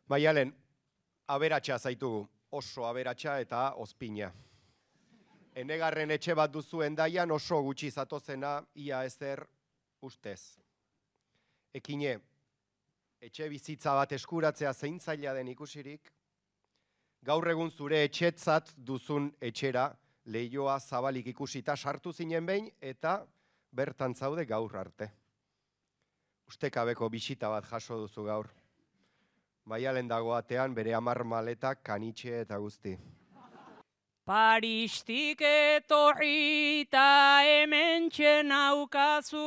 Maialen, aberatsa zaitugu, oso aberatsa eta ozpina. Enegarren etxe bat duzu Hendaian oso gutxi zatozena ia ezer ustez. Ekine, etxe bizitza bat eskuratzea zein zaila den ikusirik, gaur egun zure etxetzat duzun etxera leioa zabalik ikusita sartu zinen behin eta bertan zaude gaur arte. Ustekabeko bisita bat jaso duzu gaur. Maialen dago atean bere 10 maletak, kanitxe eta guzti. Paristik etorri eta hementxe naukazu,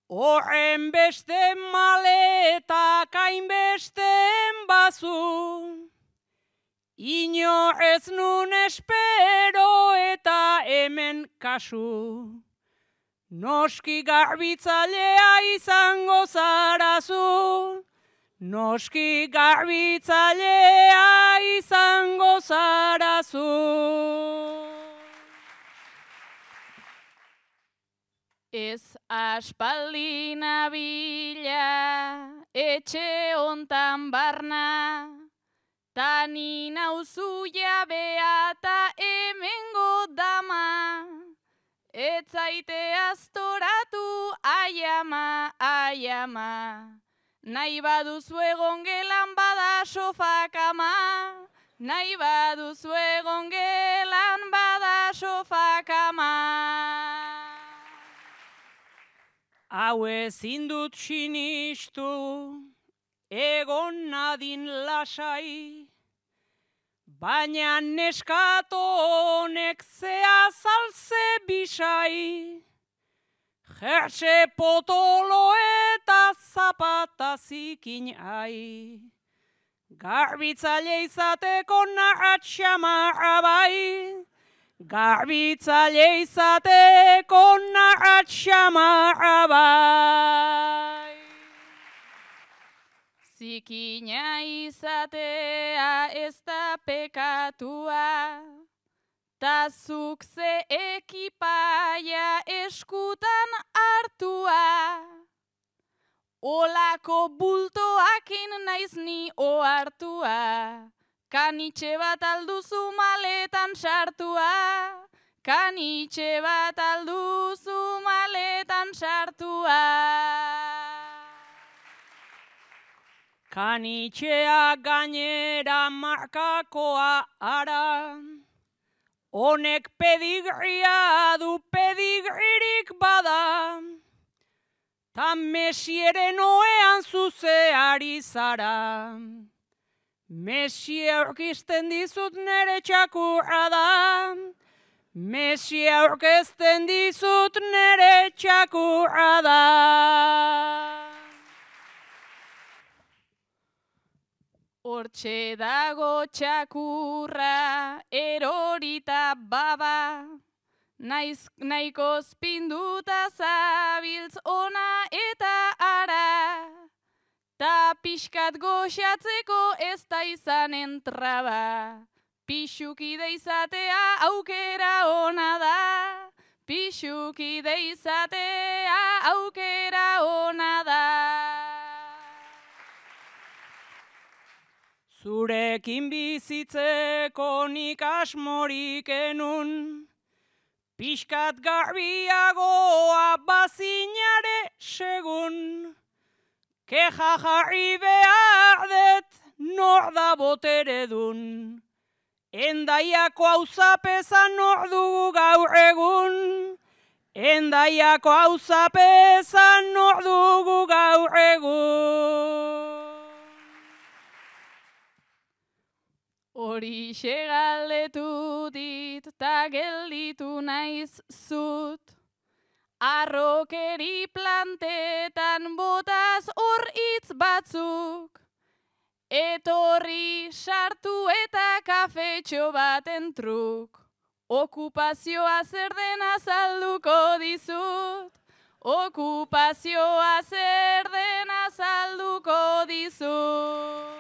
horren beste maletak hainbesten bazu, inor ez nun espero eta hemen kasu, noski garbitzailea izango zarazu, noski garbitzailea izango zarazu. Ez aspaldi nabila etxe hontan barna, ta ni nauzu jabea ta hemengo dama, ez zaite aztoratu aiama, aiama. Nahi baduzu egon gelan bada sofa kama, nahi baduzu egon gelan bada sofa kama. Hau ezin dut sinistu, egon nadin lasai, baina neskato honek zea zalze bisai. Jerse potolo eta zapata zikin ai, garbitzaile izateko narratxamarra bai, garbitzaile izateko narratxamarra bai. Zikina izatea ez da pekatua, ta zuk ze ekipaia eskutan hartua, olako bultoakin naiz ni ohartua, kanitxe bat alduzu maletan sartua, kanitxe bat alduzu maletan sartua. Kanitxea gainera markakoa ara, honek pedigria du pedigririk bada, ta mesieren oean zuzeari zara. Mesie aurkisten dizut nere txakurra da, mesie aurkezten dizut nere txakurra da. Hortxe dago txakurra erorita baba, nahikoz pinduta zabiltz ona eta ara, ta pixkat goxatzeko ez da izanen traba, pixukide izatea aukera ona da, pixukide izatea aukera ona da. Zurekin bizitzeko nik asmorik enun, pixkat garbiagoa bazinare segun, keja jarri behar dut nor da boteredun, Hendaiako auzapeza nor dugu gaur egun, Hendaiako auzapeza nor dugu gaur egun. Horixe galdetu dit ta gelditu naiz zut, arrokeri plantetan botaz hor hitz batzuk, etorri sartu eta kafetxo baten truk, okupazioa zer den azalduko dizut, okupazioa zer den azalduko dizut.